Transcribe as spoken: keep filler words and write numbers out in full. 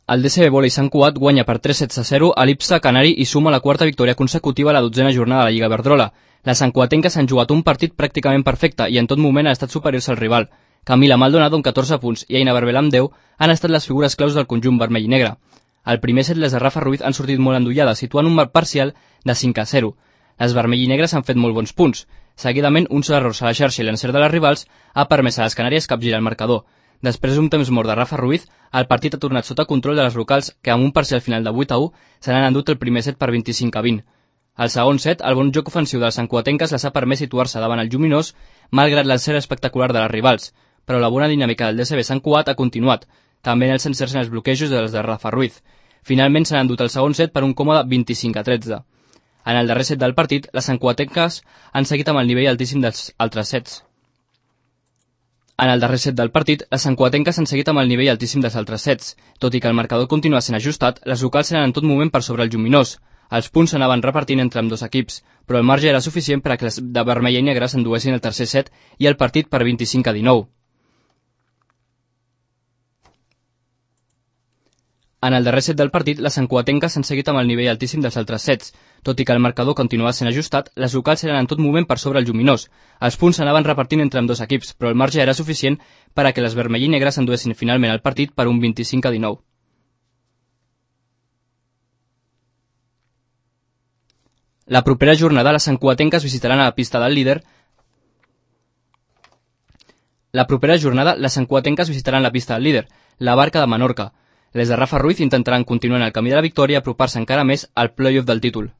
El D C B Vòlei Sant Cugat guanya per tres sets a zero a l'Ipsa Canari i suma la quarta victòria consecutiva a la dotzena jornada de la Lliga Iberdrola. Les santcugatenques han jugat un partit pràcticament perfecte i en tot moment han estat superiors al rival. Camila Maldonado amb catorze punts i Aina Barbel amb deu han estat les figures claus del conjunt vermell i negre. Al primer set les de Rafa Ruiz han sortit molt endollades, situant un marc parcial de cinc a zero. Les vermell i negres han fet molt bons punts. Seguidament, uns errors a la xarxa i l'encert de les rivals ha permès a les Canàries capgirar el marcador. Després d'un temps mort de Rafa Ruiz, el partit ha tornat sota control de les locals que amb un parcial final de vuit a u se n'han endut el primer set per vint-i-cinc a vint. Al segon set, el bon joc ofensiu de les santcugatenques les ha permès situar-se davant el Lluminós, malgrat l'encert espectacular de les rivals, però la bona dinàmica del D C B Sant Cugat ha continuat, també en els encerts en els bloquejos de les de Rafa Ruiz. Finalment s'han endut el segon set per un còmode vint-i-cinc a tretze. En el darrer set del partit, les santcugatenques han seguit amb el nivell altíssim dels altres sets. En el darrer set del partit, les santcugatenques han seguit amb el nivell altíssim dels altres sets. Tot i que el marcador continua sent ajustat, les locals eren en tot moment per sobre el Lluminós. Els punts s'anaven repartint entre ambdós equips, però el marge era suficient per a que les de vermella i negre s'enduessin el tercer set i el partit per vint-i-cinc a dinou. En el darrer set del partit, les santcugatenques han seguit amb el nivell altíssim dels altres sets. Tot i que el marcador continuava sent ajustat, les locals eren en tot moment per sobre el Lluminós. Els punts s'anaven repartint entre ambdós equips, però el marge era suficient per a que les vermell i negres s'enduessin finalment el partit per un vint-i-cinc a dinou. La propera jornada, les santcugatenques visitaran a la pista del líder La propera jornada, les santcugatenques visitaran la pista del líder, la Barca de Menorca. Les de Rafa Ruiz intentaran continuar en el camí de la victòria i apropar-se encara més al play-off del títol.